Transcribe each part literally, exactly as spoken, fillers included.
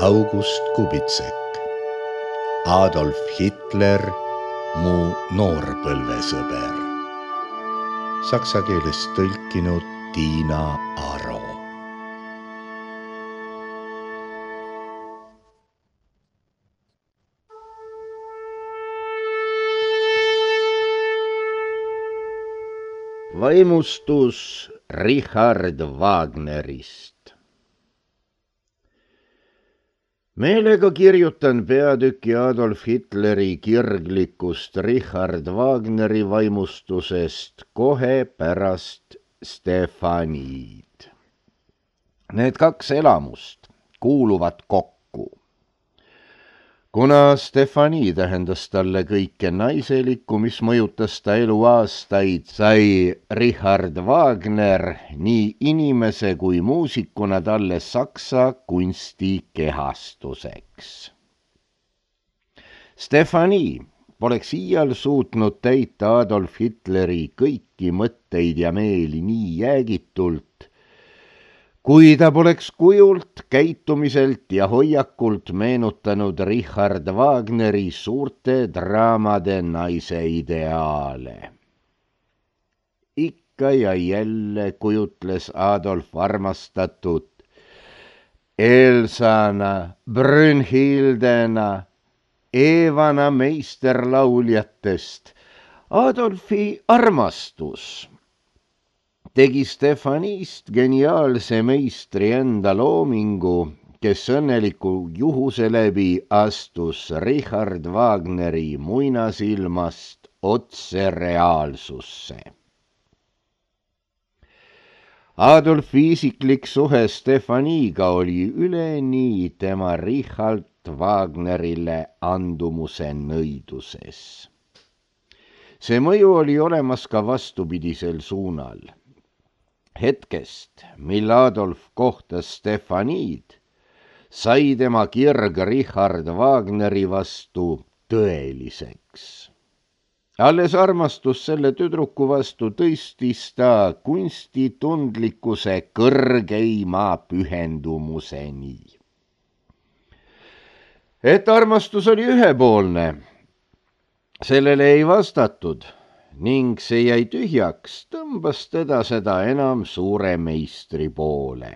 August Kubitsek, Adolf Hitler, mu noorpõlvesõber. Saksa keelest tõlkinud Tiina Aro. Vaimustus Richard Wagnerist. Meelega kirjutan peatüki Adolf Hitleri kirglikust Richard Wagneri vaimustusest kohe pärast Stefaniid. Need kaks elamust kuuluvad kokku. Kuna Stefani tähendas talle kõike naiselikku, mis mõjutas ta eluaastaid, sai Richard Wagner nii inimese kui muusikuna talle saksa kunsti kehastuseks. Stefani poleks iial suutnud täita Adolf Hitleri kõiki mõtteid ja meeli nii jäägitult, kui ta poleks kujult, käitumiselt ja hoiakult meenutanud Richard Wagneri suurte draamade naise ideaale. Ikka ja jälle kujutles Adolf armastatud Elsana, Brünnhildena, Evana meisterlauljatest. Adolfi armastus tegi Stefanist geniaalse meistri enda loomingu, kes õnneliku juhuse läbi astus Richard Wagneri muinasilmast otse reaalsusse. Adolfi isiklik suhe Stefaniga oli üleni tema Richard Wagnerile andumuse nõiduses. See mõju oli olemas ka vastupidisel suunal. Hetkest, mil Adolf kohtas Stefaniid, sai tema kirg Richard Wagneri vastu tõeliseks. Alles armastus selle tüdruku vastu tõstis ta kunstitundlikkuse kõrgeima pühendumuseni. Et armastus oli ühepoolne, sellele ei vastatud, ning see jäi tühjaks, tõmbas teda seda enam suure meistri poole.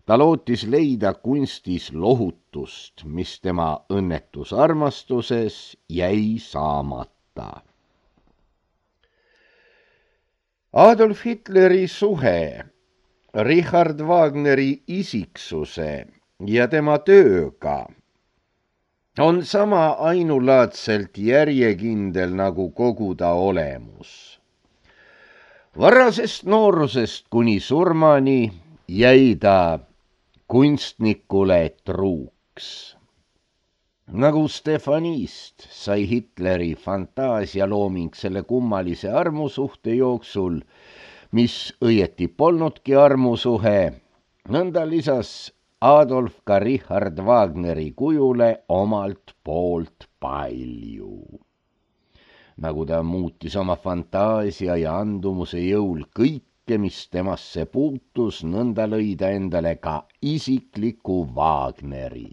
Ta lootis leida kunstis lohutust, mis tema õnnetus armastuses jäi saamata. Adolf Hitleri suhe Richard Wagneri isiksuse ja tema tööga on sama ainulaadselt järjekindel nagu kogu ta olemus. Varasest noorusest kuni surmani jäi ta kunstnikule truuks. Nagu Stefanist sai Hitleri fantaasialooming selle kummalise armusuhte jooksul, mis õieti polnudki armusuhe, nõnda lisas Adolf ka Richard Wagneri kujule omalt poolt palju. Nagu ta muutis oma fantaasia ja andumuse jõul kõike, mis temasse puutus, nõnda lõi ta endale ka isikliku Wagneri.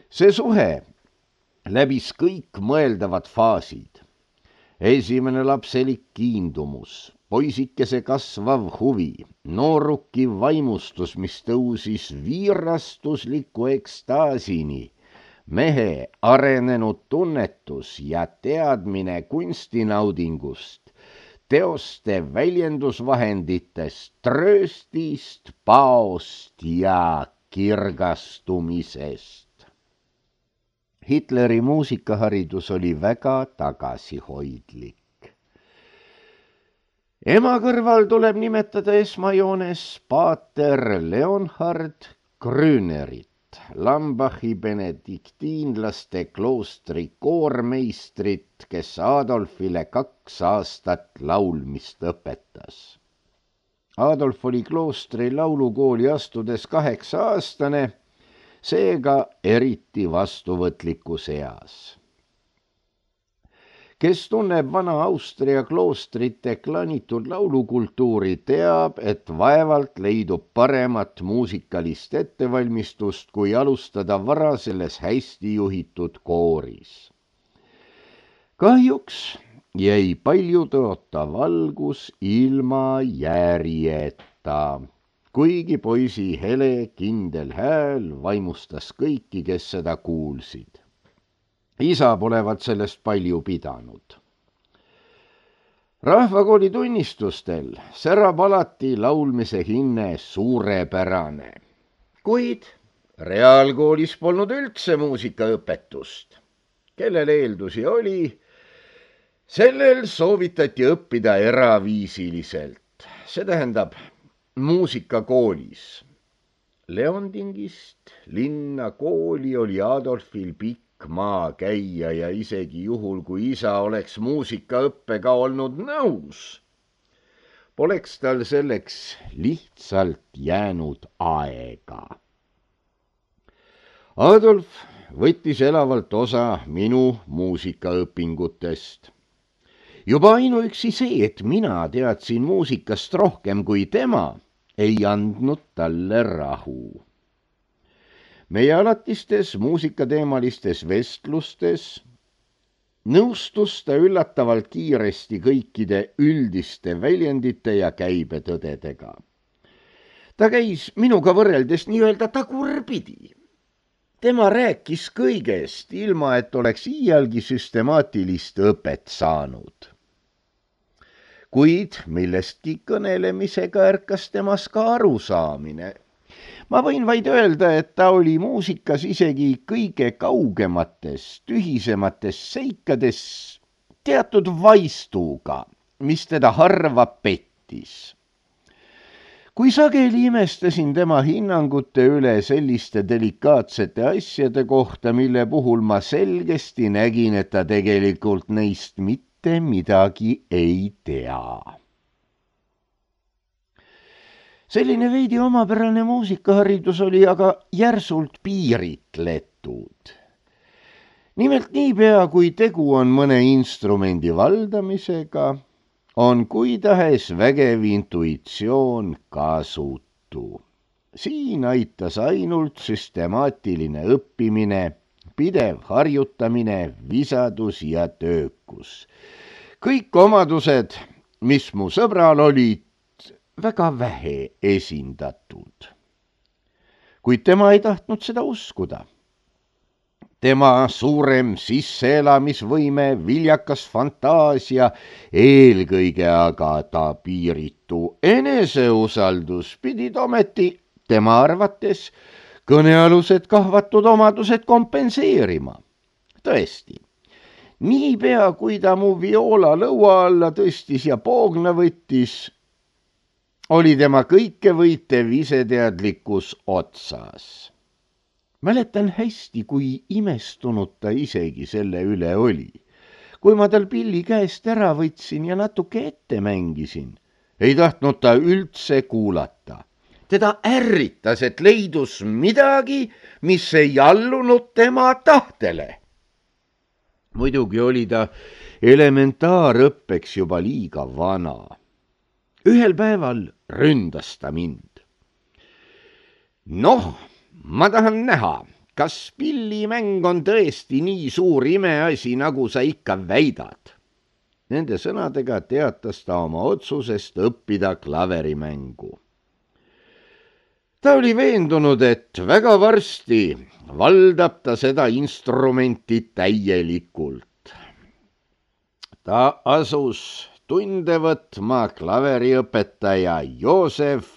See suhe läbis kõik mõeldavad faasid. Esimene lapselik kiindumus, poisikese kasvav huvi, nooruki vaimustus, mis tõusis viirastusliku ekstaasini, mehe arenenud tunnetus ja teadmine kunstinaudingust, teoste väljendusvahenditest, trööstist, paost ja kirgastumisest. Hitleri muusikaharidus oli väga tagasihoidlik. Ema kõrval tuleb nimetada esmajoones paater Leonhard Grünerit, Lambachi benediktiinlaste kloostri koormeistrit, kes Adolfile kaks aastat laulmist õpetas. Adolf oli kloostri laulukooli astudes kaheksa aastane, seega eriti vastuvõtlikus eas. kes tunneb vana Austria kloostrite klanitud laulukultuuri, teab, et vaevalt leidub paremat muusikalist ettevalmistust, kui alustada vara selles hästi juhitud kooris. Kahjuks jäi palju tõotav algus ilma järjeta, kuigi poisi hele kindel hääl vaimustas kõiki, kes seda kuulsid. Isa polevat sellest palju pidanud. Rahvakooli tunnistustel särab alati laulmise hinne suurepärane, kuid reaalkoolis polnud üldse muusikaõpetust. Kellel eeldusi oli, sellel soovitati õppida eraviisiliselt, see tähendab muusikakoolis. Leondingist linna kooli oli Adolfil pikk maa käia ja isegi juhul, kui isa oleks muusikaõppega olnud nõus, poleks tal selleks lihtsalt jäänud aega. Adolf võttis elavalt osa minu muusikaõpingutest. Juba ainuüksi see, et mina teadsin muusikast rohkem kui tema, ei andnud talle rahu. Meie alatistes muusikateemalistes vestlustes nõustus ta üllatavalt kiiresti kõikide üldiste väljendite ja käibetõdedega. Ta käis minuga võrreldes nii-öelda tagurpidi. Tema rääkis kõigest, ilma et oleks iialgi süstemaatilist õpet saanud. Kuid millestki kõnelemisega ärkas temas ka arusaamine. Ma võin vaid öelda, et ta oli muusikas isegi kõige kaugemates, tühisemates seikades teatud vaistuga, mis teda harva pettis. Kui sageli imestasin tema hinnangute üle selliste delikaatsete asjade kohta, mille puhul ma selgesti nägin, et ta tegelikult neist mitte midagi ei tea. Selline veidi omapärane muusikaharidus oli aga järsult piiritletud. Nimelt niipea, kui tegu on mõne instrumendi valdamisega, on kuidahes vägev intuitsioon kasutu. Siin aitas ainult süstemaatiline õppimine, pidev harjutamine, visadus ja töökus. Kõik omadused, mis mu sõbral olid, väga vähe esindatud. Kuid tema ei tahtnud seda uskuda. Tema suurem sisseelamisvõime, viljakas fantaasia, eelkõige aga ta piiritu eneseusaldus pidid ometi tema arvates kõnealused kahvatud omadused kompenseerima. Tõesti, niipea kui ta mu viola lõua alla tõstis ja poogna võttis, oli tema kõikevõitev iseteadlikkus otsas. Mäletan hästi, kui imestunud ta isegi selle üle oli. Kui ma tal pilli käest ära võtsin ja natuke ette mängisin, ei tahtnud ta üldse kuulata. Teda ärritas, et leidus midagi, mis ei allunud tema tahtele. Muidugi oli ta elementaarõppeks juba liiga vana. Ühel päeval ründas ta mind. Noh, ma tahan näha, kas pillimäng on tõesti nii suur imeasi, nagu sa ikka väidad. Nende sõnadega teatas ta oma otsusest õppida klaverimängu. Ta oli veendunud, et väga varsti valdab ta seda instrumenti täielikult. Ta asus tunde võtma klaveriõpetaja Joosef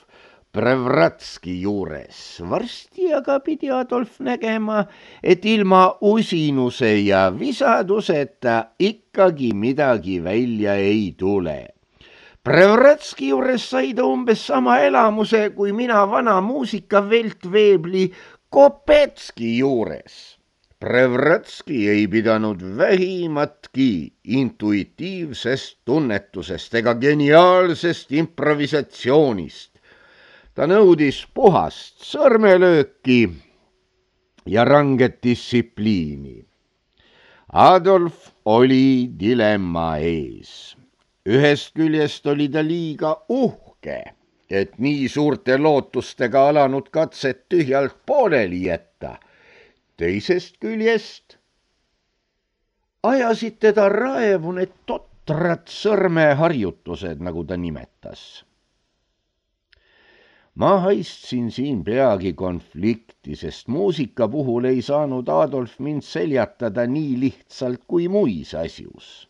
Prevratski juures. Varsti aga pidi Adolf nägema, et ilma usinuse ja visaduseta ikkagi midagi välja ei tule. Prevratski juures sai ta umbes sama elamuse, kui mina vana muusikaveltveebli Kopetski juures. Prevratski ei pidanud vähimatki intuitiivsest tunnetusest ega geniaalsest improvisatsioonist. Ta nõudis puhast sõrmelööki ja ranget distsipliini. Adolf oli dilemma ees. Ühest küljest oli ta liiga uhke, et nii suurte lootustega alanud katset tühjalt pooleli jätta. Teisest küljest ajasid teda raevu need totrad sõrmeharjutused, nagu ta nimetas. Ma haistsin siin peagi konflikti, sest muusika puhul ei saanud Adolf mind seljatada nii lihtsalt kui muis asjus.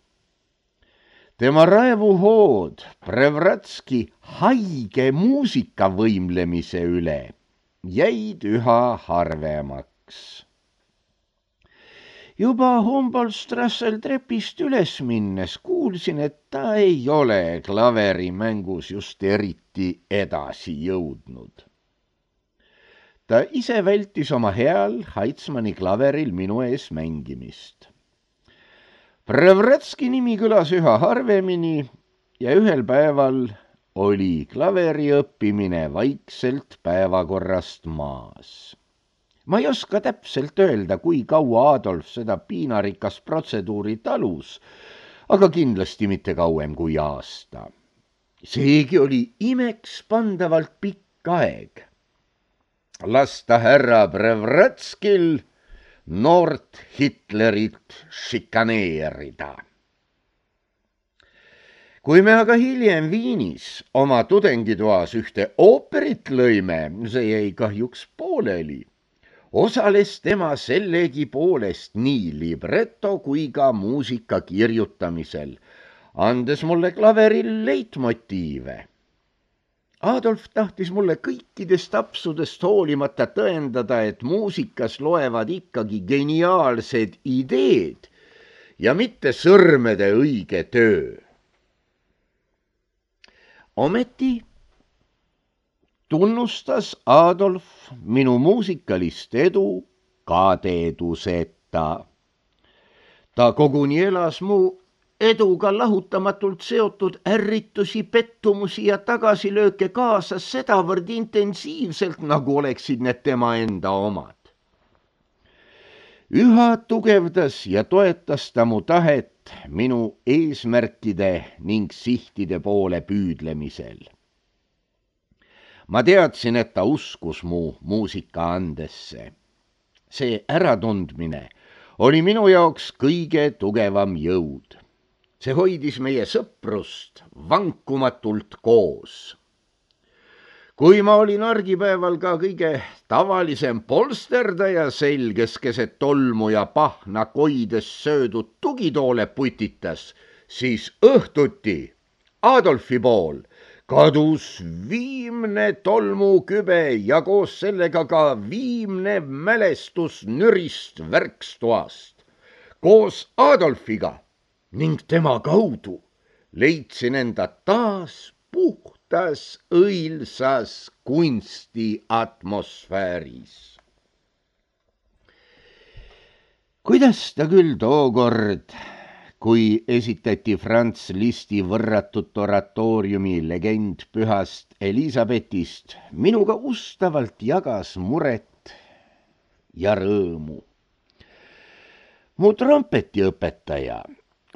Tema raevuhood Prevratski haige muusika võimlemise üle jäid üha harvemaks. Juba Humboldt-Strassel trepist üles minnes kuulsin, et ta ei ole klaverimängus just eriti edasi jõudnud. Ta ise vältis oma heal Heitzmanni klaveril minu ees mängimist. Prevratski nimi kõlas üha harvemini ja ühel päeval oli klaveri õppimine vaikselt päevakorrast maas. Ma ei oska täpselt öelda, kui kaua Adolf seda piinarikast protseduuri talus, aga kindlasti mitte kauem kui aasta. Seegi oli imeks pandavalt pikk aeg. Lasta härra Prevratskil noort Hitlerit šikaneerida. Kui me aga hiljem Viinis oma tudengitoas ühte ooperit lõime, see jäi kahjuks pooleli. Osales tema sellegi poolest nii libretto kui ka muusika kirjutamisel, andes mulle klaveril leitmotiive. Adolf tahtis mulle kõikidest apsudest hoolimata tõendada, et muusikas loevad ikkagi geniaalsed ideed ja mitte sõrmede õige töö. Ometi tunnustas Adolf minu muusikalist edu kadeeduseta. Ta koguni elas mu eduga lahutamatult seotud ärritusi, pettumusi ja tagasilööke kaasas sedavõrd intensiivselt, nagu oleksid need tema enda omad. Üha tugevdas ja toetas ta mu tahet minu eesmärkide ning sihtide poole püüdlemisel. Ma teadsin, et ta uskus mu muusika andesse. See äratundmine oli minu jaoks kõige tugevam jõud. See hoidis meie sõprust vankumatult koos. Kui ma olin argipäeval ka kõige tavalisem polsterdaja selges keset tolmu ja pahna koides söödud tugitoole putitas, siis õhtuti Adolfi pool kadus viimne tolmukübe ja koos sellega ka viimne mälestus nürist värkstoast. Koos Adolfiga ning tema kaudu leidsin enda taas puhtas õilsas kunsti atmosfääris. Kuidas ta küll tookord, kui esitati Franz Listi võrratut oratooriumi legend pühast Elisabetist, minuga ustavalt jagas muret ja rõõmu. Mu trompetiõpetaja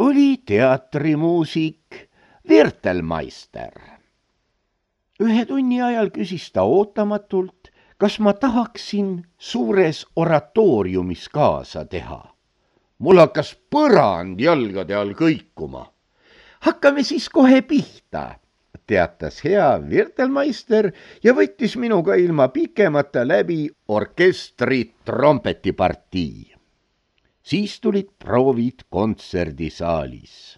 oli teatrimuusik Wirtelmeister. Ühe tunni ajal küsis ta ootamatult, kas ma tahaksin suures oratooriumis kaasa teha. Mul hakkas põrand jalgade all kõikuma. Hakkame siis kohe pihta, teatas hea Wirtelmeister ja võttis minuga ilma pikemata läbi orkestri trompetipartii. Siis tulid proovid kontserdisaalis.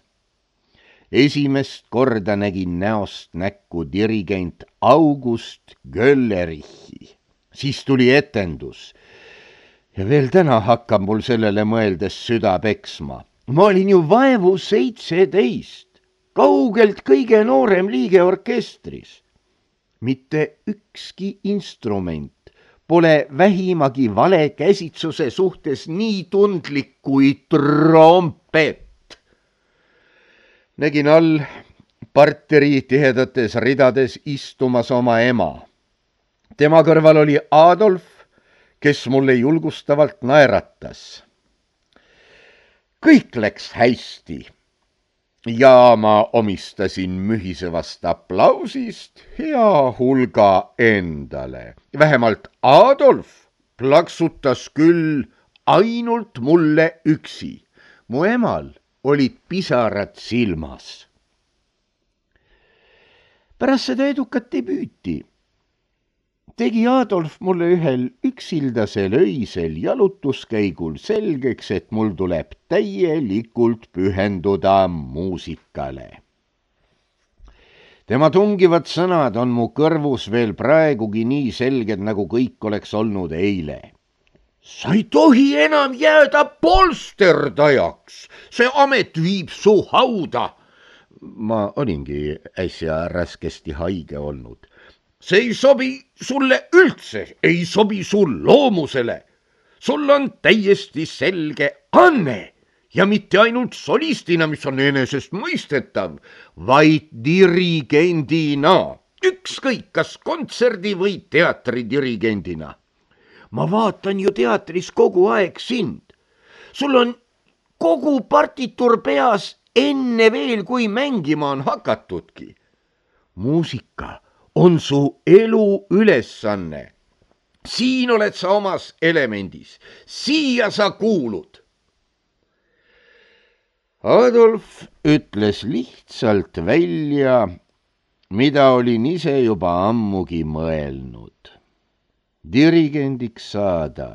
Esimest korda nägin näost näkku dirigent August Göllerichi. Siis tuli etendus. Ja veel täna hakkab mul sellele mõeldes süda peksma. Ma olin ju vaevu seitseteist, kaugelt kõige noorem liige orkestris. Mitte ükski instrument pole vähimagi vale käsitsuse suhtes nii tundlik kui trompet. Nägin all parteri tihedates ridades istumas oma ema. Tema kõrval oli Adolf, kes mulle julgustavalt naeratas. kõik läks hästi ja ma omistasin mühisevast aplausist hea hulga endale. Vähemalt Adolf plaksutas küll ainult mulle üksi. Mu emal olid pisarad silmas. Pärast seda edukat debüüti tegi Adolf mulle ühel üksildasel öisel jalutuskäigul selgeks, et mul tuleb täielikult pühenduda muusikale. Tema tungivad sõnad on mu kõrvus veel praegugi nii selged, nagu kõik oleks olnud eile. Sa ei tohi enam jääda polsterdajaks, see amet viib su hauda. Ma olingi äsja raskesti haige olnud. See ei sobi sulle üldse, ei sobi sul loomusele. Sul on täiesti selge anne ja mitte ainult solistina, mis on enesest mõistetav, vaid dirigendina, ükskõik kas kontserdi või teatri dirigendina. Ma vaatan ju teatris kogu aeg sind. Sul on kogu partitur peas enne veel, kui mängima on hakatudki. Muusika on su elu ülesanne. Siin oled sa omas elemendis. Siia sa kuulud. Adolf ütles lihtsalt välja, mida olin ise juba ammugi mõelnud. Dirigendiks saada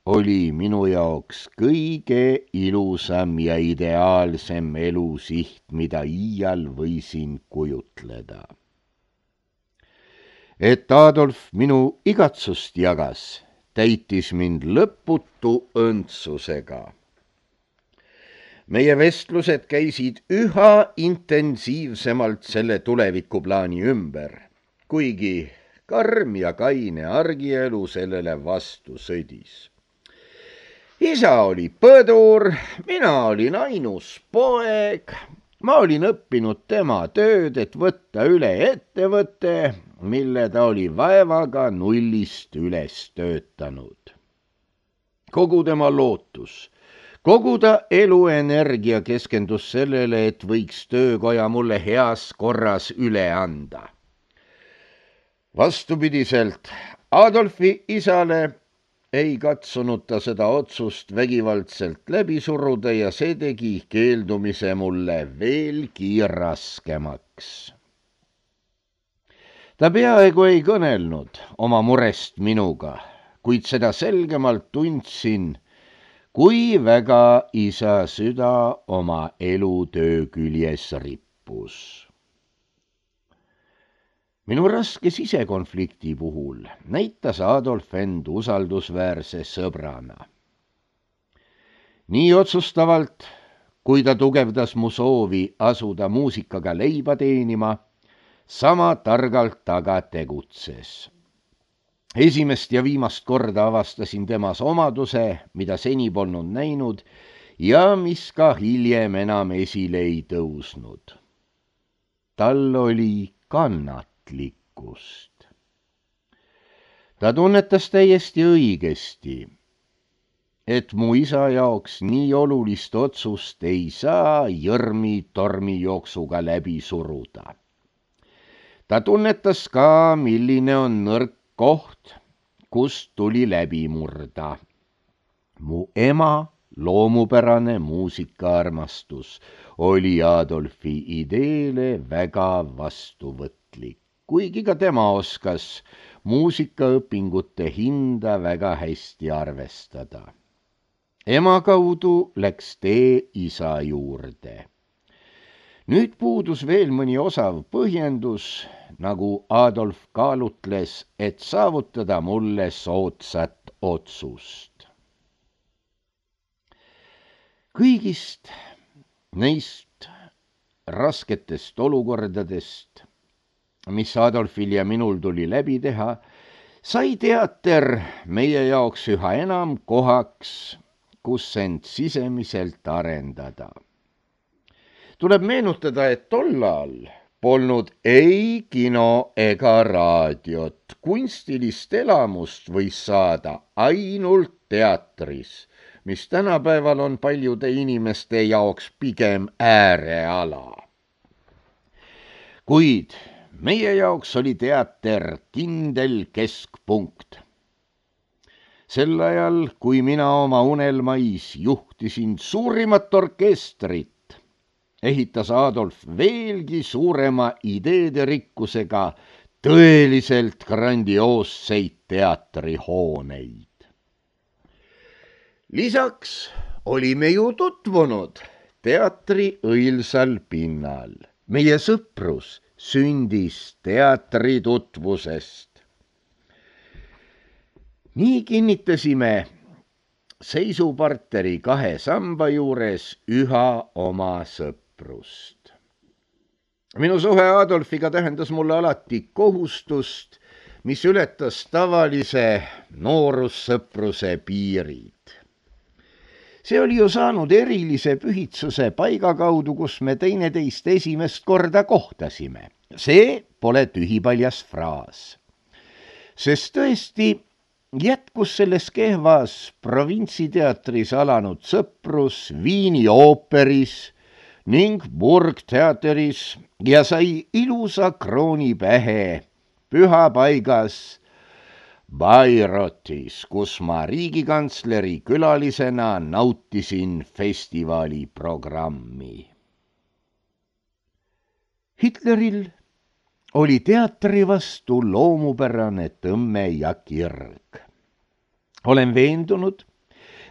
oli minu jaoks kõige ilusam ja ideaalsem elusiht, mida iial võisin kujutleda. Et Adolf minu igatsust jagas, täitis mind lõputu õndsusega. Meie vestlused käisid üha intensiivsemalt selle tulevikuplaani ümber, kuigi karm ja kaine argielu sellele vastu sõdis. Isa oli põdur, mina olin ainus poeg. Ma olin õppinud tema tööd, et võtta üle ettevõte, mille ta oli vaevaga nullist üles töötanud. Kogu tema lootus, kogu ta eluenergia keskendus sellele, et võiks töökoja mulle heas korras üle anda. Vastupidiselt Adolfi isale ei katsunud ta seda otsust vägivaldselt läbi suruda ja see tegi keeldumise mulle veelgi raskemaks. Ta peaaegu ei kõnelnud oma murest minuga, kuid seda selgemalt tundsin, kui väga isa süda oma elutöö küljes rippus. Minu raske sisekonflikti puhul näitas Adolf end usaldusväärse sõbrana. Nii otsustavalt, kui ta tugevdas mu soovi asuda muusikaga leiba teenima, sama targalt aga tegutses. Esimest ja viimast korda avastasin temas omaduse, mida seni polnud näinud ja mis ka hiljem enam esile ei tõusnud. Tal oli kannat. Ta tunnetas täiesti õigesti, et mu isa jaoks nii olulist otsust ei saa jõrmi tormijooksuga läbi suruda. Ta tunnetas ka, milline on nõrk koht, kust tuli läbi murda. Mu ema loomupärane muusikaarmastus oli Adolfi ideele väga vastuvõtlik. Kuigi ka tema oskas muusikaõpingute hinda väga hästi arvestada. Ema kaudu läks tee isa juurde. Nüüd puudus veel mõni osav põhjendus, nagu Adolf kaalutles, et saavutada mulle soodsat otsust. Kõigist neist rasketest olukordadest, mis Adolfil ja minul tuli läbi teha, sai teater meie jaoks üha enam kohaks, kus end sisemiselt arendada. Tuleb meenutada, et tollal polnud ei kino ega raadiot. Kunstilist elamust võis saada ainult teatris, mis tänapäeval on paljude inimeste jaoks pigem ääreala. Kuid meie jaoks oli teater kindel keskpunkt. Sel ajal, kui mina oma unelmais juhtisin suurimat orkestrit, ehitas Adolf veelgi suurema ideede rikkusega tõeliselt grandioosseid teatrihooneid. Lisaks olime ju tutvunud teatri õilsal pinnal. Meie sõprus sündis teatri tutvusest. Nii kinnitasime seisuparteri kahe samba juures üha oma sõprust. Minu suhe Adolfiga tähendas mulle alati kohustust, mis ületas tavalise noorussõpruse piirid. See oli ju saanud erilise pühitsuse paiga kaudu, kus me teineteist esimest korda kohtasime. See pole tühipaljas fraas. Sest tõesti jätkus selles kehvas provintsiteatris alanud sõprus Viini ooperis ning Burgteateris ja sai ilusa krooni pähe pühapaigas Bairotis, kus ma riigikantsleri külalisena nautisin festivali programmi. Hitleril oli teatri vastu loomupärane tõmme ja kirg. Olen veendunud,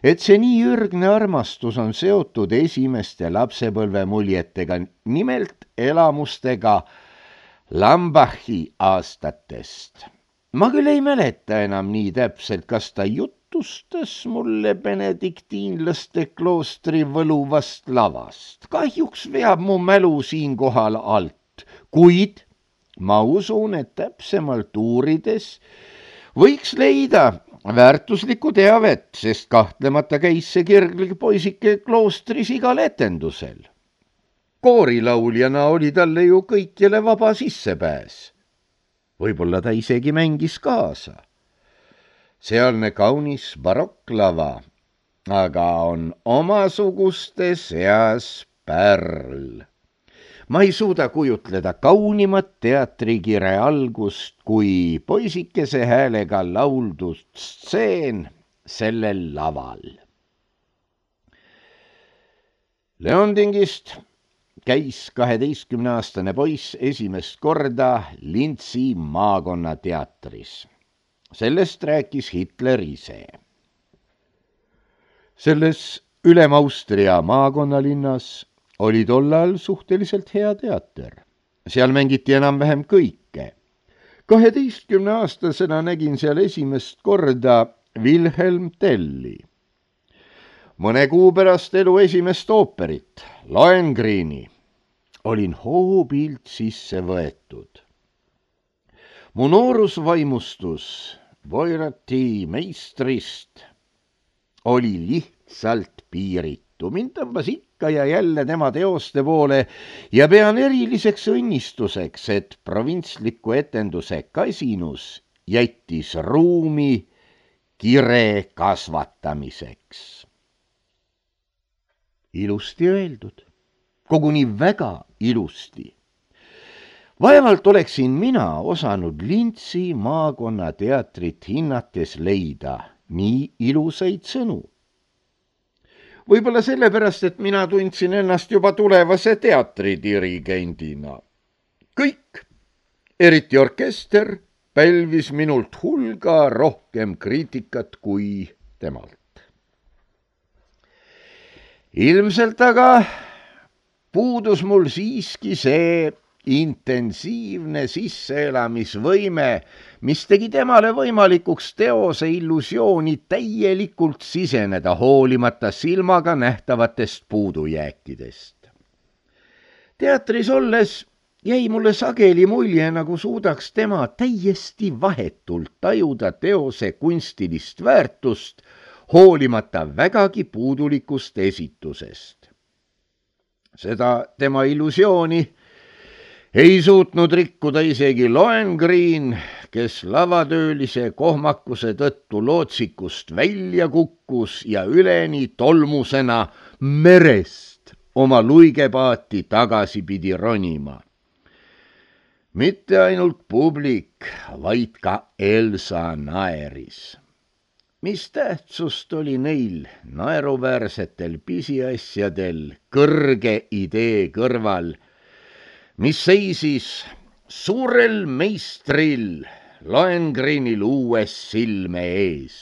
et see nii ürgne armastus on seotud esimeste lapsepõlve muljetega, nimelt elamustega Lambachi aastatest. Ma küll ei mäleta enam nii täpselt, kas ta jutustas mulle benediktiinlaste kloostri võluvast lavast. Kahjuks veab mu mälu siinkohal alt, kuid ma usun, et täpsemalt uurides võiks leida väärtuslikku teavet, sest kahtlemata käis see kirglik poisike kloostris igal etendusel. Koorilauljana oli talle ju kõikjale vaba sissepääs. Võib-olla ta isegi mängis kaasa. Sealne kaunis barokklava, aga on omasuguste seas pärl. Ma ei suuda kujutleda kaunimat teatrikire algust kui poisikese häälega lauldud stseen sellel laval. Leondingist käis kaheteistkümneaastane poiss esimest korda Lintsi maakonnateatris. Sellest rääkis Hitler ise. Selles Ülem-Austria maakonnalinnas oli tollal suhteliselt hea teater. Seal mängiti enam-vähem kõike. kaheteistkümneaastasena nägin seal esimest korda Wilhelm Telli. Mõne kuu pärast elu esimest ooperit, Lohengrini, olin hoobilt sisse võetud. Mu noorusvaimustus Voirati meistrist oli lihtsalt piiritu. Mind tõmbas ikka ja jälle tema teoste poole ja pean eriliseks õnnistuseks, et provintsliku etenduse kasinus jättis ruumi kire kasvatamiseks. Ilusti öeldud, koguni väga ilusti. Vaevalt oleksin mina osanud Lintsi maakonnateatrit hinnates leida nii ilusaid sõnu. Võib-olla sellepärast, et mina tundsin ennast juba tulevase teatridirigendina. Kõik, eriti orkester, pälvis minult hulga rohkem kriitikat kui temalt. Ilmselt aga puudus mul siiski see intensiivne sisseelamisvõime, mis tegi temale võimalikuks teose illusiooni täielikult siseneda hoolimata silmaga nähtavatest puudujääkidest. Teatris olles jäi mulle sageli mulje, nagu suudaks tema täiesti vahetult tajuda teose kunstilist väärtust, hoolimata vägagi puudulikust esitusest. Seda tema illusiooni ei suutnud rikkuda isegi Lohengrin, kes lavatöölise kohmakuse tõttu lootsikust välja kukkus ja üleni tolmusena merest oma luigepaati tagasi pidi ronima. Mitte ainult publik, vaid ka Elsa naeris. Mis tähtsust oli neil naeruväärsetel pisiasjadel kõrge idee kõrval, mis seisis suurel meistril Lohengreenil uues silme ees.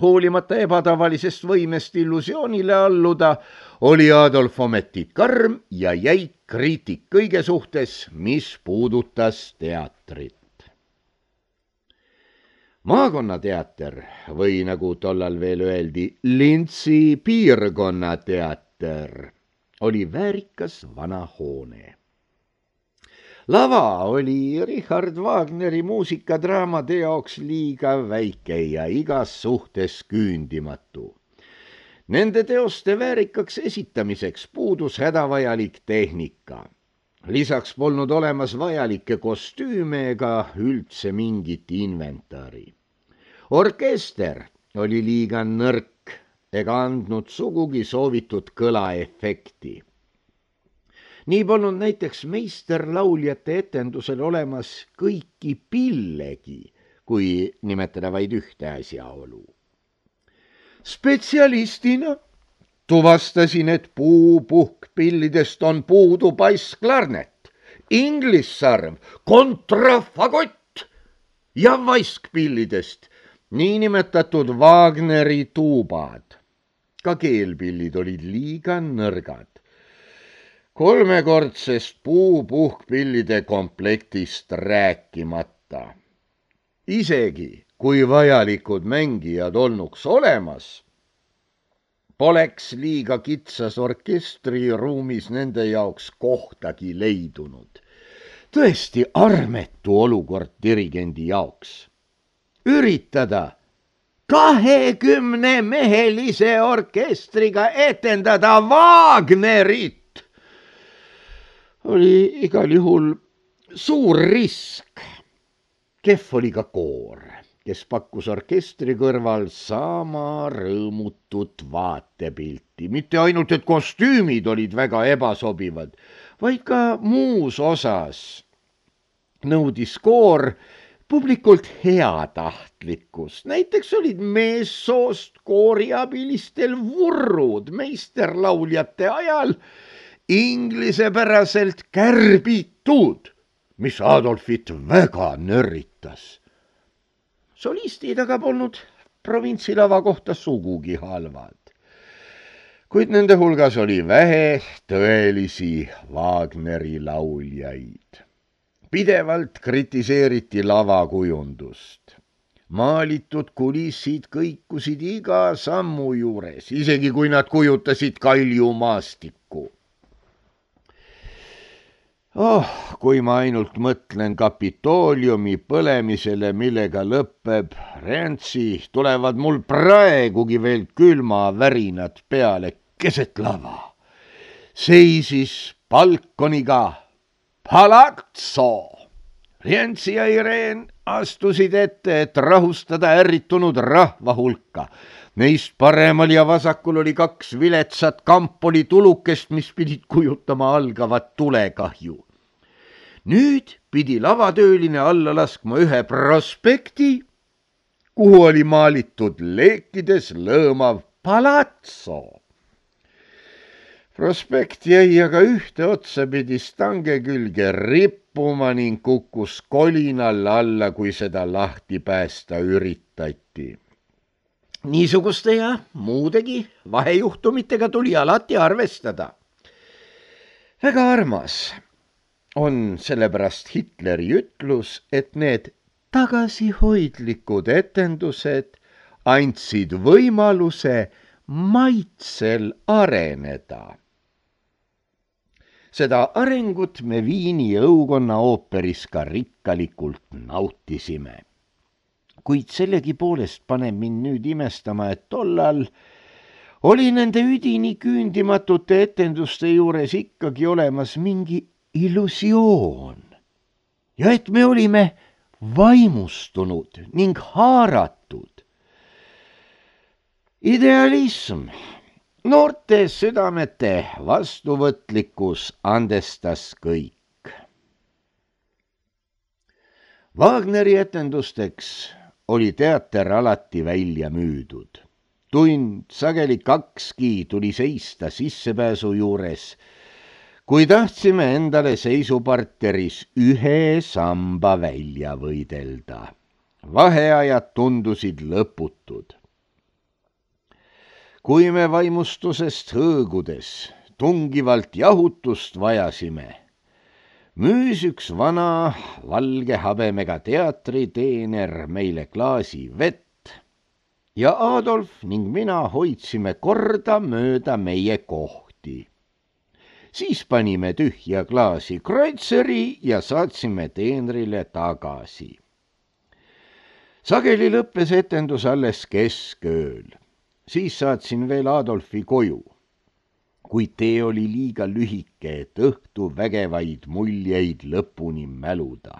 Hoolimata ebatavalisest võimest illusioonile alluda, oli Adolf ometi karm ja jäik kriitik kõige suhtes, mis puudutas teatrit. Maakonnateater või nagu tollal veel öeldi, Lintsi piirkonnateater oli väärikas vana hoone. Lava oli Richard Wagneri muusikadraamade jaoks liiga väike ja igas suhtes küündimatu. Nende teoste väärikaks esitamiseks puudus hädavajalik tehnika. Lisaks polnud olemas vajalikke kostüüme ega üldse mingit inventari. Orkester oli liiga nõrk ega andnud sugugi soovitud kõlaefekti. Nii polnud näiteks meisterlauljate etendusel olemas kõiki pillegi, kui nimetada vaid ühte asjaolu. Spetsialistina tuvastasin, et puupuhkpillidest on puudu bassklarnet, inglissarv, kontrafagott ja vaiskpillidest niinimetatud Wagneri tuubad. Ka keelpillid olid liiga nõrgad. Kolmekordsest puupuhkpillide komplektist rääkimata. Isegi kui vajalikud mängijad olnuks olemas, poleks liiga kitsas orkestriruumis nende jaoks kohtagi leidunud. Tõesti armetu olukord dirigendi jaoks. Üritada kahekümne mehelise orkestriga etendada Wagnerit oli igal juhul suur risk. Kehv oli ka koor, kes pakkus orkestri kõrval sama rõõmutut vaatepilti. Mitte ainult, et kostüümid olid väga ebasobivad, vaid ka muus osas nõudis koor publikult heatahtlikkust. Näiteks olid meessoost kooriabilistel vurrud meisterlauljate ajal inglisepäraselt kärbitud, mis Adolfit väga nörritas. Solistid aga polnud provintsilava kohta sugugi halvad, kuid nende hulgas oli vähe tõelisi Wagneri lauljaid. Pidevalt kritiseeriti lavakujundust. Maalitud kulissid kõikusid iga sammu juures, isegi kui nad kujutasid kaljumaastikku. Oh, kui ma ainult mõtlen Kapitooliumi põlemisele, millega lõpeb Rientzi, tulevad mul praegugi veel külmavärinad peale keset lava. Seisis balkoniga Palazzo. Rientzi ja Irene astusid ette, et rahustada ärritunud rahva hulka. Neist paremal ja vasakul oli kaks viletsat kampoli tulukest, mis pidid kujutama algavat tulekahju. Nüüd pidi lavatööline alla laskma ühe prospekti, kuhu oli maalitud leekides lõõmav Palazzo. Prospekt jäi aga ühte otsapidi stange külge rippuma ning kukkus kolinal alla, kui seda lahti päästa üritati. Niisuguste ja muudegi vahejuhtumitega tuli alati arvestada. Väga armas on sellepärast Hitleri ütlus, et need tagasihoidlikud etendused andsid võimaluse maitsel areneda. Seda arengut me Viini õukonna ooperis ka rikkalikult nautisime. Kuid sellegi poolest paneb mind nüüd imestama, et tollal oli nende üdini küündimatute etenduste juures ikkagi olemas mingi illusioon ja et me olime vaimustunud ning haaratud. Idealism, noorte südamete vastuvõtlikkus andestas kõik. Wagneri etendusteks oli teater alati välja müüdud. Tund, sageli kakski tuli seista sissepääsu juures, kui tahtsime endale seisuparteris ühe samba välja võidelda. Vaheajad tundusid lõputud. Kui me vaimustusest hõõgudes tungivalt jahutust vajasime, müüs üks vana valge habemega teatriteener meile klaasi vett ja Adolf ning mina hoidsime korda mööda meie kohti. Siis panime tühja klaasi kreutzeri ja saatsime teenrile tagasi. Sageli lõppes etendus alles keskööl. Siis saatsin veel Adolfi koju, kuid tee oli liiga lühike, et õhtu vägevaid muljeid lõpuni mäluda.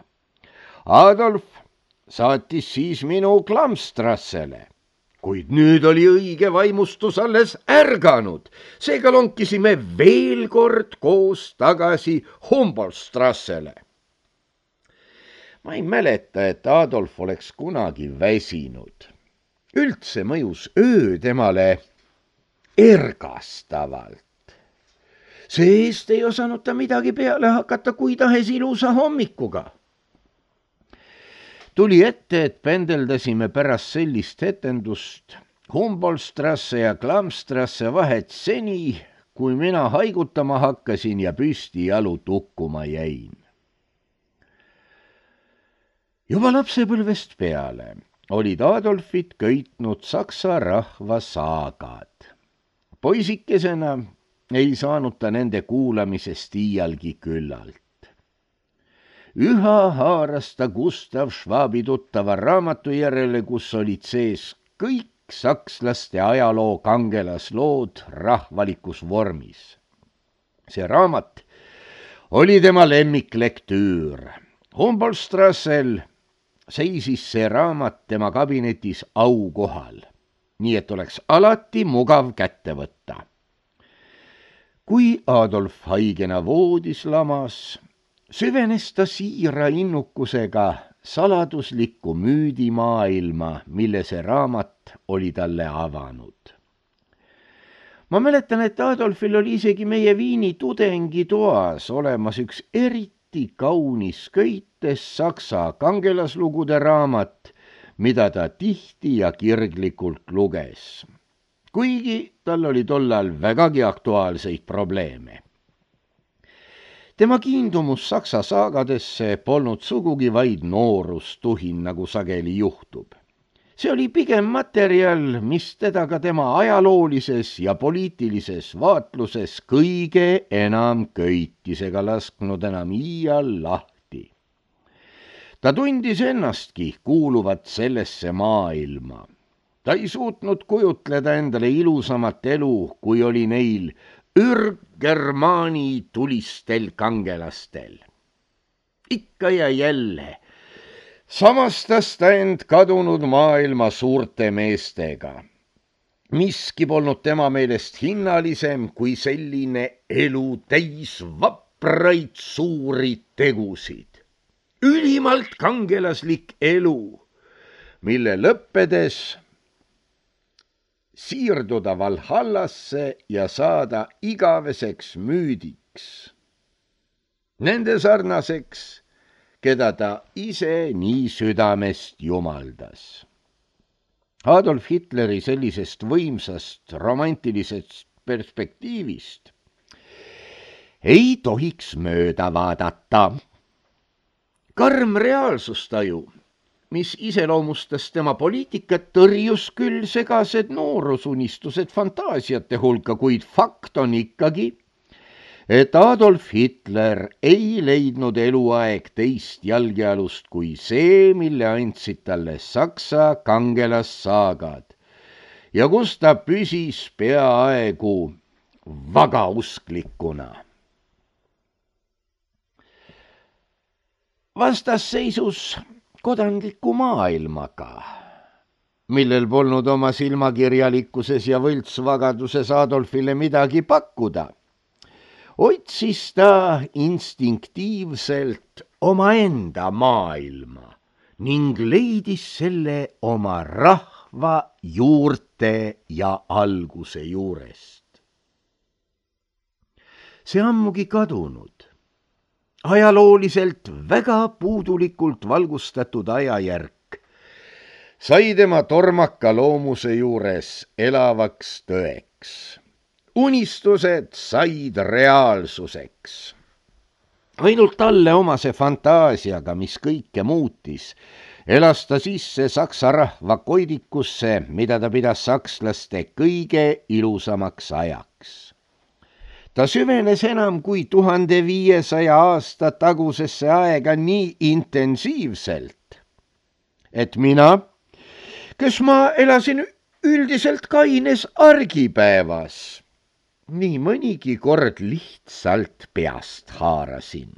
Adolf saatis siis minu Klamstrassele, kuid nüüd oli õige vaimustus alles ärganud. Seega lonkisime veel kord koos tagasi Humboldtstrassele. Ma ei mäleta, et Adolf oleks kunagi väsinud. Üldse mõjus öö temale ergastavalt. See-eest ei osanud ta midagi peale hakata kui tahes ilusa hommikuga. Tuli ette, et pendeldasime pärast sellist etendust Humboldtstrasse ja Klamstrasse vahet seni, kui mina haigutama hakkasin ja püsti jalu tukkuma jäin. Juba lapsepõlvest peale olid Adolfit köitnud saksa rahva saagad. Poisikesena ei saanud ta nende kuulamisest iialgi küllalt. Üha haaras ta Gustav Schwabi tuttava raamatu järele, kus olid sees kõik sakslaste ajaloo kangelaslood rahvalikus vormis. See raamat oli tema lemmiklektüür. Humboldtstrassel seisis see raamat tema kabinetis aukohal, nii et oleks alati mugav kätte võtta. Kui Adolf haigena voodis lamas, süvenes ta siira innukusega saladuslikku müüdimaailma, mille see raamat oli talle avanud. Ma mäletan, et Adolfil oli isegi meie Viini tudengitoas olemas üks eriti kaunis köites saksa kangelaslugude raamat, mida ta tihti ja kirglikult luges, kuigi tal oli tollal vägagi aktuaalseid probleeme. Tema kiindumus saksa saagadesse polnud sugugi vaid noorustuhin, nagu sageli juhtub. See oli pigem materjal, mis teda ka tema ajaloolises ja poliitilises vaatluses kõige enam köitis ega lasknud enam iial lahti. Ta tundis ennastki kuuluvat sellesse maailma. Ta ei suutnud kujutleda endale ilusamat elu, kui oli neil ürggermaani tulistel kangelastel. Ikka ja jälle samastas ta end kadunud maailma suurte meestega. Miski polnud tema meelest hinnalisem kui selline elu täis vapraid suuri tegusid. Ülimalt kangelaslik elu, mille lõppedes siirduda Valhallasse ja saada igaveseks müüdiks. Nende sarnaseks, keda ta ise nii südamest jumaldas. Adolf Hitleri sellisest võimsast romantilisest perspektiivist ei tohiks mööda vaadata. Karm reaalsustaju, mis iseloomustas tema poliitikat, tõrjus küll segased noorusunistused fantaasiate hulka, kuid fakt on ikkagi, et Adolf Hitler ei leidnud eluaeg teist jalgealust kui see, mille andsid talle saksa kangelassaagad ja kus ta püsis peaaegu vagausklikuna. Vastasseisus kodanliku maailmaga, millel polnud oma silmakirjalikkuses ja võltsvagaduses Adolfile midagi pakkuda, otsis ta instinktiivselt omaenda maailma ning leidis selle oma rahva juurte ja alguse juurest. See ammugi kadunud, ajalooliselt väga puudulikult valgustatud ajajärk sai tema tormaka loomuse juures elavaks tõeks. Unistused said reaalsuseks. Ainult talle omase fantaasiaga, mis kõike muutis, elas ta sisse saksa rahva koidikusse, mida ta pidas sakslaste kõige ilusamaks ajaks. Ta süvenes enam kui tuhande viiesaja aasta tagusesse aega nii intensiivselt, et mina, kes ma elasin üldiselt kaines argipäevas, nii mõnigi kord lihtsalt peast haarasin.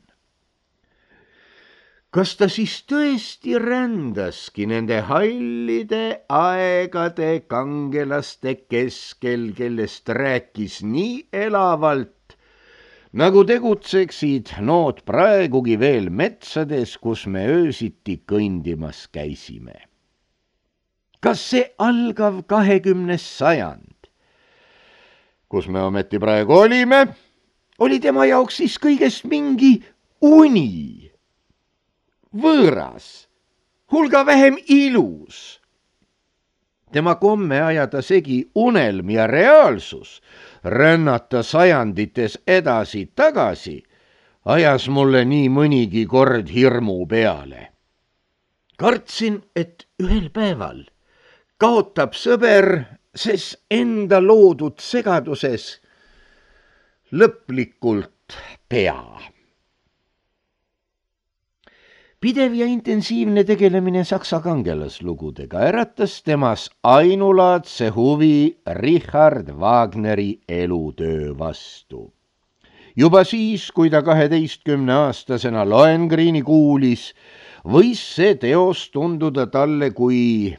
Kas ta siis tõesti rändaski nende hallide aegade kangelaste keskel, kellest rääkis nii elavalt, nagu tegutseksid nood praegugi veel metsades, kus me öösiti kõndimas käisime? Kas see algav kahekümnes sajand, kus me ometi praegu olime, oli tema jaoks siis kõigest mingi uni? Võõras, hulga vähem ilus. Tema komme ajada segi unelm ja reaalsus, rännata sajandites edasi tagasi, ajas mulle nii mõnigi kord hirmu peale. Kartsin, et ühel päeval kaotab sõber, ses enda loodud segaduses lõplikult pea. Pidev ja intensiivne tegelemine saksa kangelaslugudega äratas temas ainulaadse huvi Richard Wagneri elutöö vastu. Juba siis, kui ta kaheteistkümne aastasena Lohengrini kuulis, võis see teos tunduda talle kui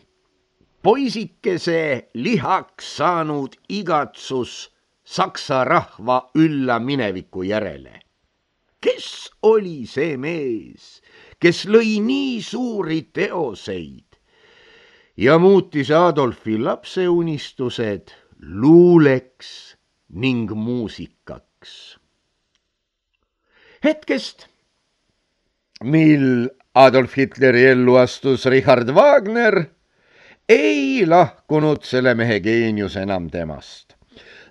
poisikese lihaks saanud igatsus saksa rahva ülla mineviku järele. Kes oli see mees, kes lõi nii suuri teoseid ja muutis Adolfi lapseunistused luuleks ning muusikaks? Hetkest, mil Adolf Hitleri ellu astus Richard Wagner, ei lahkunud selle mehe geenius enam temast.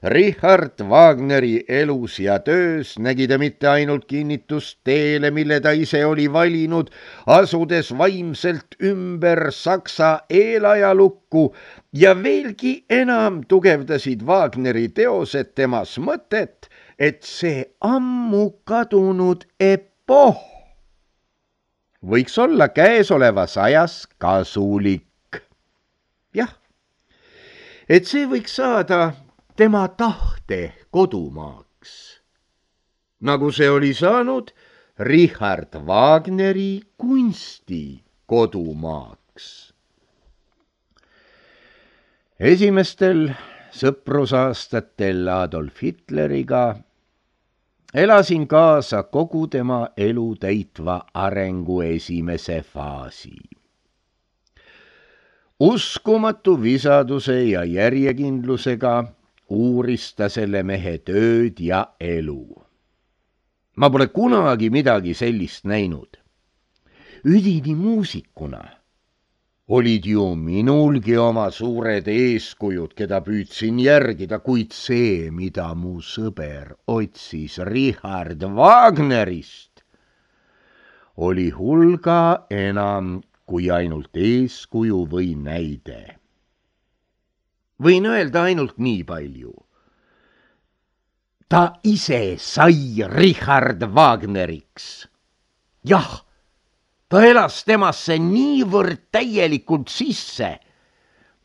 Richard Wagneri elus ja töös nägi ta mitte ainult kinnitust teele, mille ta ise oli valinud, asudes vaimselt ümber saksa eelajalukku, ja veelgi enam tugevdasid Wagneri teosed temas mõtet, et see ammu kadunud epoh võiks olla käesolevas ajas kasulik. Jah, et see võiks saada tema tahte kodumaaks, nagu see oli saanud Richard Wagneri kunsti kodumaaks. Esimestel sõprusaastatel Adolf Hitleriga elasin kaasa kogu tema elu täitva arengu esimese faasi. Uskumatu visaduse ja järjekindlusega uuris ta selle mehe tööd ja elu. Ma pole kunagi midagi sellist näinud. Üdini muusikuna olid ju minulgi oma suured eeskujud, keda püüdsin järgida, kuid see, mida mu sõber otsis Richard Wagnerist, oli hulga enam kui ainult eeskuju või näide. Võin öelda ainult nii palju. Ta ise sai Richard Wagneriks. Jah, ta elas temasse niivõrd täielikult sisse,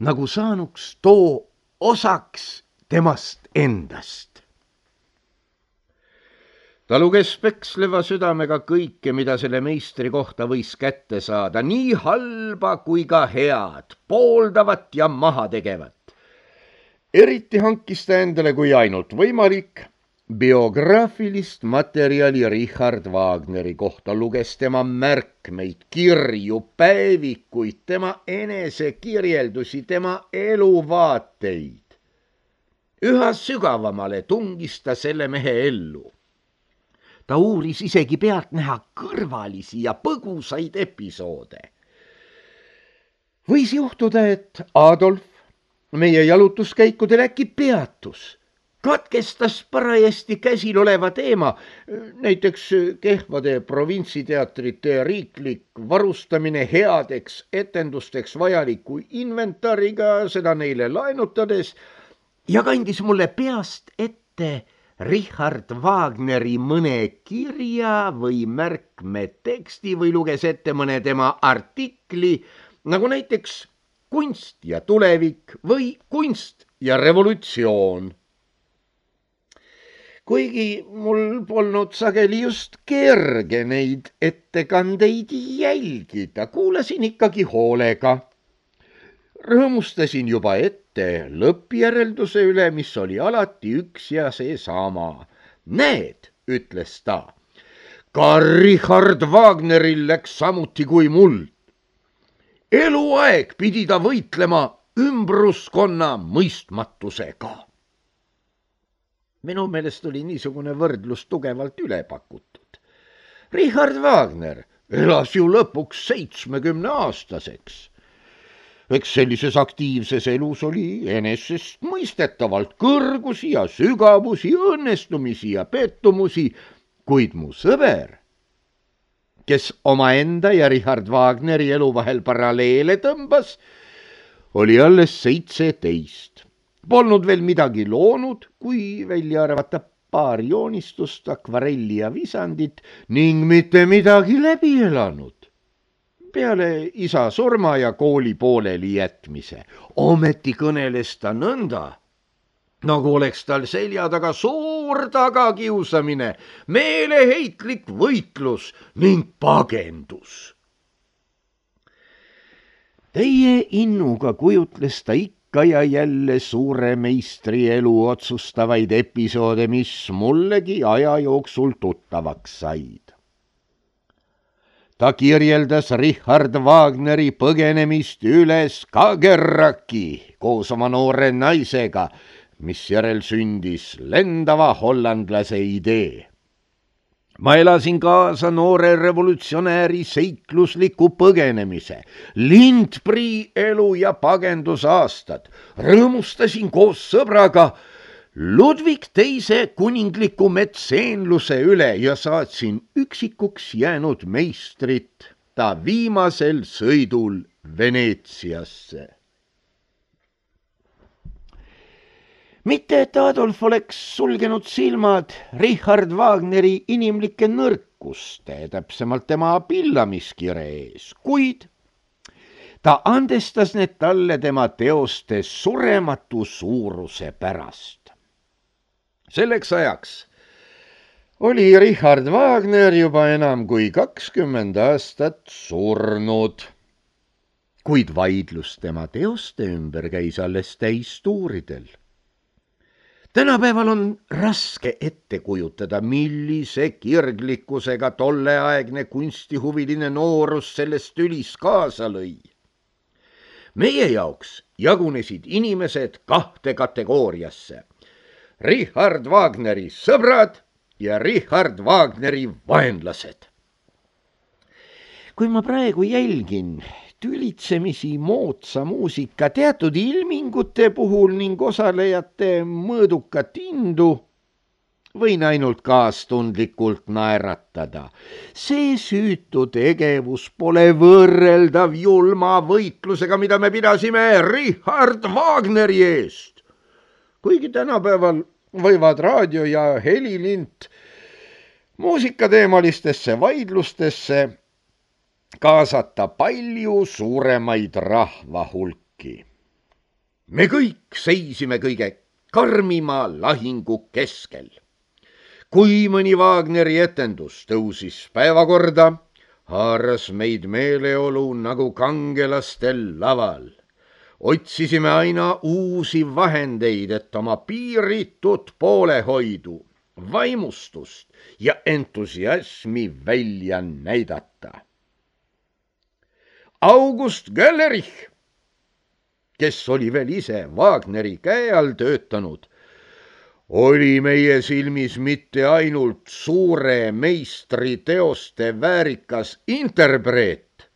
nagu saanuks too osaks temast endast. ta luges peksleva südamega kõike, mida selle meistri kohta võis kätte saada, nii halba kui ka head, pooldavat ja mahategevat. Eriti hankis ta endale kui ainult võimalik biograafilist materjali Richard Wagneri kohta, luges tema märkmeid, kirju, päevikuid, tema enesekirjeldusi, tema eluvaateid. Üha sügavamale tungis ta selle mehe ellu. Ta uuris isegi pealtnäha kõrvalisi ja põgusaid episoode. Võis juhtuda, et Adolf meie jalutuskäikudel äkki peatus, katkestas parajasti käsil oleva teema, näiteks kehvade provintsiteatrite riiklik varustamine headeks etendusteks vajaliku inventariga, seda neile laenutades, ja kandis mulle peast ette Richard Wagneri mõne kirja või märkmeteksti või luges ette mõne tema artikli, nagu näiteks kunst ja tulevik või kunst ja revolutsioon. Kuigi mul polnud sageli just kerge neid ettekandeid jälgida, kuulasin ikkagi hoolega. Rõõmustasin juba ette lõppjärelduse üle, mis oli alati üks ja seesama. Näed, ütles ta, ka Richard Wagneril läks samuti kui muld. Eluaeg pidi ta võitlema ümbruskonna mõistmatusega. Minu meelest oli niisugune võrdlus tugevalt üle pakutud. Richard Wagner elas ju lõpuks seitsmekümne aastaseks. Eks sellises aktiivses elus oli enesest mõistetavalt kõrgusi ja sügavusi, õnnestumisi ja pettumusi, kuid mu sõber, kes omaenda ja Richard Wagneri elu vahel paralleele tõmbas, oli alles seitseteist. Polnud veel midagi loonud, kui välja arvata paar joonistust, akvarelli ja visandit ning mitte midagi läbi elanud. Peale isa surma ja kooli pooleli jätmise. Ometi kõneles ta nõnda, nagu oleks tal selja taga suur tagakiusamine, meeleheitlik võitlus ning pagendus. Teie innuga kujutles ta ikka ja jälle suure meistri elu otsustavaid episoode, mis mullegi aja jooksul tuttavaks said. Ta kirjeldas Richard Wagneri põgenemist üle Skagerraki koos oma noore naisega, mis järel sündis lendava hollandlase idee. Ma elasin kaasa noore revolutsionääri seiklusliku põgenemise, Lindprii elu ja pagendusaastad, rõõmustasin koos sõbraga Ludvig teise kuningliku metseenluse üle ja saatsin üksikuks jäänud meistrit ta viimasel sõidul Veneetsiasse. Mitte, et Adolf oleks sulgenud silmad Richard Wagneri inimlike nõrkuste, täpsemalt tema pillamiskire ees, kuid ta andestas need talle tema teoste surematu suuruse pärast. Selleks ajaks oli Richard Wagner juba enam kui kakskümmend aastat surnud, kuid vaidlus tema teoste ümber käis alles täistuuridel. Tänapäeval on raske ette kujutada, millise kirglikkusega tolleaegne kunstihuviline noorus sellest tülis kaasa lõi. Meie jaoks jagunesid inimesed kahte kategooriasse. Richard Wagneri sõbrad ja Richard Wagneri vaenlased. Kui ma praegu jälgin tülitsemisi moodsa muusika teatud ilmingute puhul ning osalejate mõõdukat indu, võin ainult kaastundlikult naeratada. See süütu tegevus pole võrreldav julma võitlusega, mida me pidasime Richard Wagneri eest. Kuigi tänapäeval võivad raadio ja helilint muusikateemalistesse vaidlustesse kaasata palju suuremaid rahvahulki. Me kõik seisime kõige karmima lahingu keskel. kui mõni Wagneri etendus tõusis päevakorda, haaras meid meeleolu nagu kangelastel laval. Otsisime aina uusi vahendeid, et oma piiritut poolehoidu, vaimustust ja entusiasmi välja näidata. August Gällerich, kes oli veel ise Wagneri käe all töötanud, oli meie silmis mitte ainult suure meistri teoste väärikas interpreet,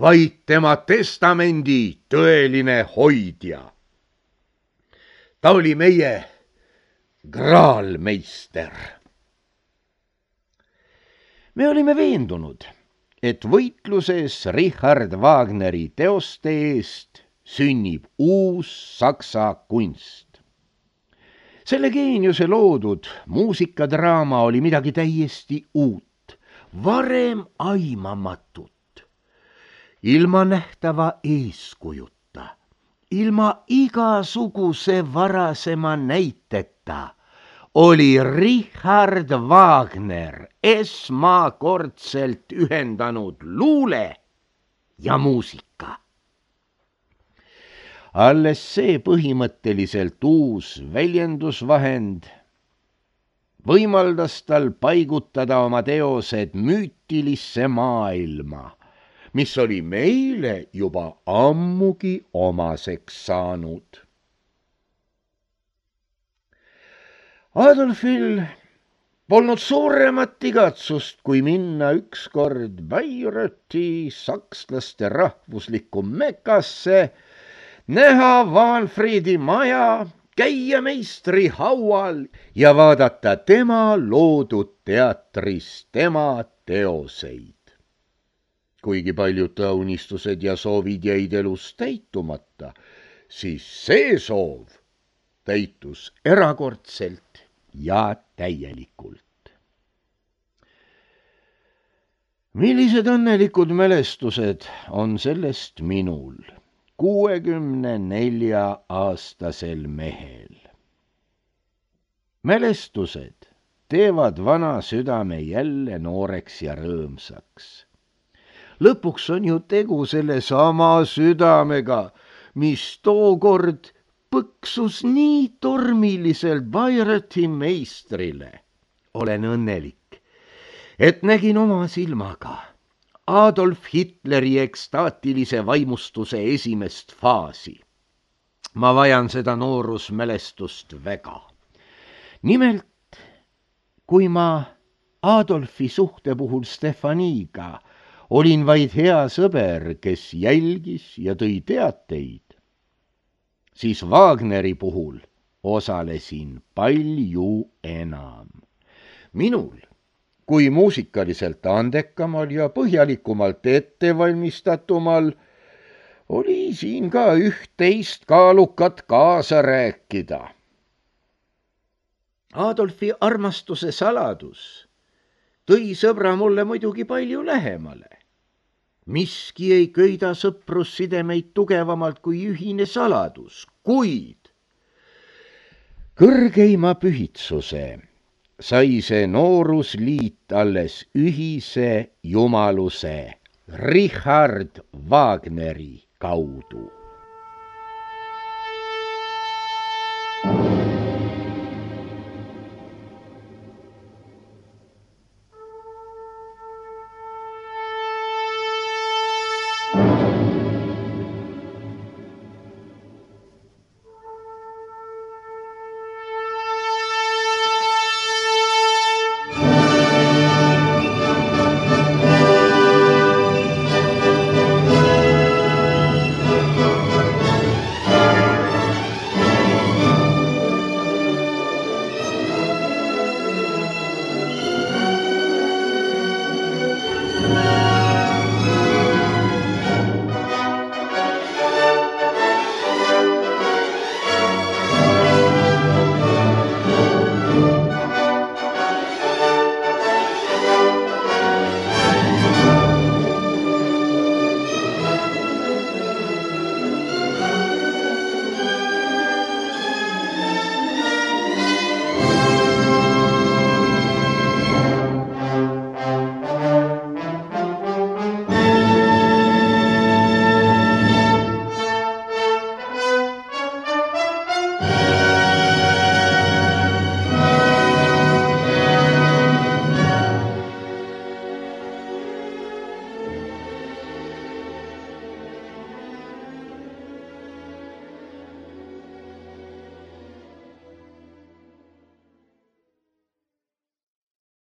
vaid tema testamendi tõeline hoidja. Ta oli meie graalmeister. Me olime veendunud, et võitluses Richard Wagneri teoste eest sünnib uus saksa kunst. Selle geeniuse loodud muusikadraama oli midagi täiesti uut, varem aimamatut. Ilma nähtava eeskujuta, ilma igasuguse varasema näiteta oli Richard Wagner esmakordselt ühendanud luule ja muusika. Alles see põhimõtteliselt uus väljendusvahend võimaldas tal paigutada oma teosed müütilisse maailma, mis oli meile juba ammugi omaseks saanud. Adolfil polnud suuremat igatsust, kui minna ükskord Bayreuthi sakslaste rahvuslikku Mekasse, näha Wahnfriedi maja, käia meistri haual ja vaadata tema loodud teatris tema teoseid. Kuigi paljud ta unistused ja soovid jäid elus täitumata, siis see soov täitus erakordselt ja täielikult. Millised õnnelikud mälestused on sellest minul, kuuekümne nelja aastasel mehel. Mälestused teevad vana südame jälle nooreks ja rõõmsaks. Lõpuks on ju tegu selle sama südamega, mis tookord põksus nii tormiliselt Bayreuthi meistrile. Olen õnnelik, et nägin oma silmaga Adolf Hitleri ekstaatilise vaimustuse esimest faasi. Ma vajan seda noorusmälestust väga. Nimelt, kui ma Adolfi suhte puhul Stefaniga olin vaid hea sõber, kes jälgis ja tõi teateid, siis Wagneri puhul osalesin palju enam. Minul, kui muusikaliselt andekamal ja põhjalikumalt ettevalmistatumal, oli siin ka üht-teist kaalukat kaasa rääkida. Adolfi armastuse saladus tõi sõbra mulle muidugi palju lähemale. Miski ei köida sõprussidemeid tugevamalt kui ühine saladus, kuid kõrgeima pühitsuse sai see noorusliit alles ühise jumaluse Richard Wagneri kaudu.